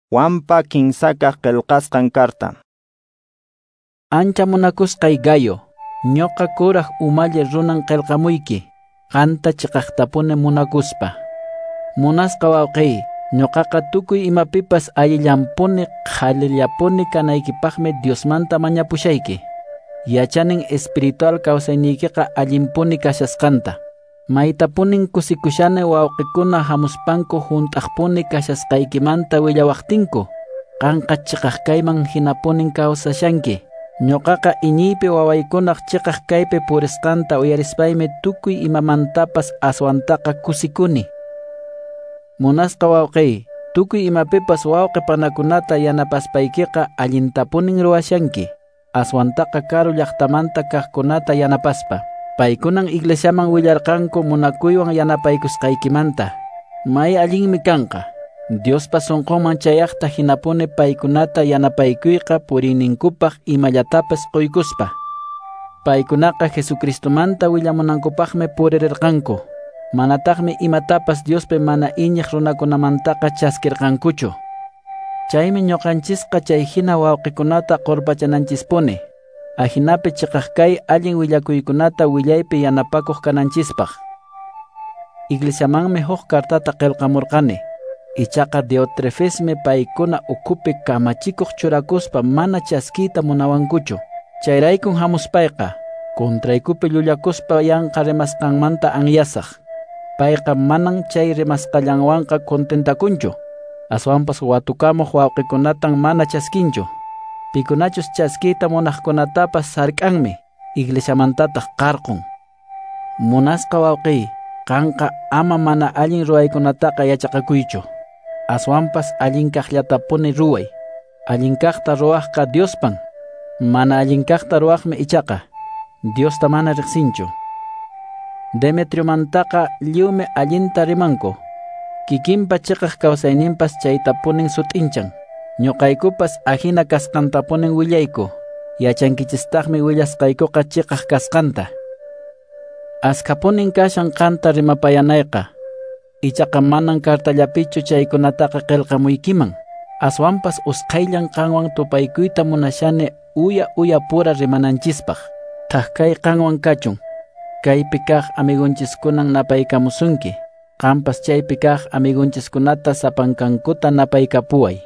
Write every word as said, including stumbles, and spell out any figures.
Juanpa kinsakaq qillqasqan karta. Ancha munakusqay Gayo, ñuqa kuraq umalli runan qillqamuyki, qanta chiqaqtapuni munakuspa. Munasqa wawqiy, ñuqaqa tukuy imapipas allillanpuni qhalillapuni kanaykipaqmi Diosmanta mañapushayki. Yachanin espiritual kawsayniykiqa allinpuni kashasqanta. Maytapunin kusikushani wawqikuna hamuspanku hunt'aqpuni kashasqaykimanta willawaqtinku. Qanqa chiqaq kayman hinapunin kawsashanki. Ñuqaqa iñiypi wawaykunaq chiqaq kaypi purisqanta uyarispaymi tukuy imamantapas aswantaqa kusikuni. Munasqa wawqiy, tukuy imapipas wawqi panakunata yanapaspaykiqa allintapunin ruwashanki. Aswantaqa karu llaqtamanta kaqkunata yanapaspa. Paykunan iglesiaman willarqanku munakuywan yanapaykusqaykimanta. May allinmi kanqa. Diospa sunqunman chayaqta hinapuni paykunata yanapaykuyqa puriyninkupaq imallatapas quykuspa. Paykunaqa Jesucristomanta willamunankupaqmi purirqanku. Manataqmi imatapas Diospi mana iñiq runakunamantaqa chaskirqankuchu. Chaymi ñuqanchisqa chay hina wawqikunata qurpachananchispuni. Ajinapi chiqaq kay allin willakuykunata willaypi yanapakuq kananchispaq. Iglesiamanmi huk kartata qillqamurqani. Ichaqa Diotrefesmi paykuna ukhupi kamachikuq churakuspa mana chaskiyta munawankuchu. Chayraykun hamuspayqa contraykupi llullakuspa yanqa rimasqanmanta anyasaq. Payqa manan chay rimasqallanwanqa contentakunchu. Aswanpas watukamuq wawqikunatan mana chaskinchu. Pikunachus chaskiyta munaqkunatapas sark'anmi, iglesiamantataq qarqun. Munasqa wawqiy, qanqa ama mana allin ruwaykunataqa yachaqakuychu. Aswanpas allin kaqllatapuni ruway. Allin kaqta ruwaqqa Diospan. Mana allin kaqta ruwaqmi ichaqa Diosta mana riqsinchu. Demetriomantaqa lliwmi allinta rimanku. Kikinpa chiqaq kawsayninpas chaytapunin sut'inchan. Ñuqaykupas ajina kasqantapunin willayku. Yachankichistaqmi willasqaykuqa chiqaq kasqanta. Askapunin kashan qanta rimapayanayqa. Ichaqa manan kartallapichu chaykunataqa qillqamuykiman. Aswanpas usqhayllan qanwan tupaykuyta munashani uya uya pura rimananchispaq. Thak kay qanwan kachun. Kaypi kaq amigunchiskunan napaykamusunki. Qampas chaypi kaq amigunchiskunata sapankankuta napaykapuway.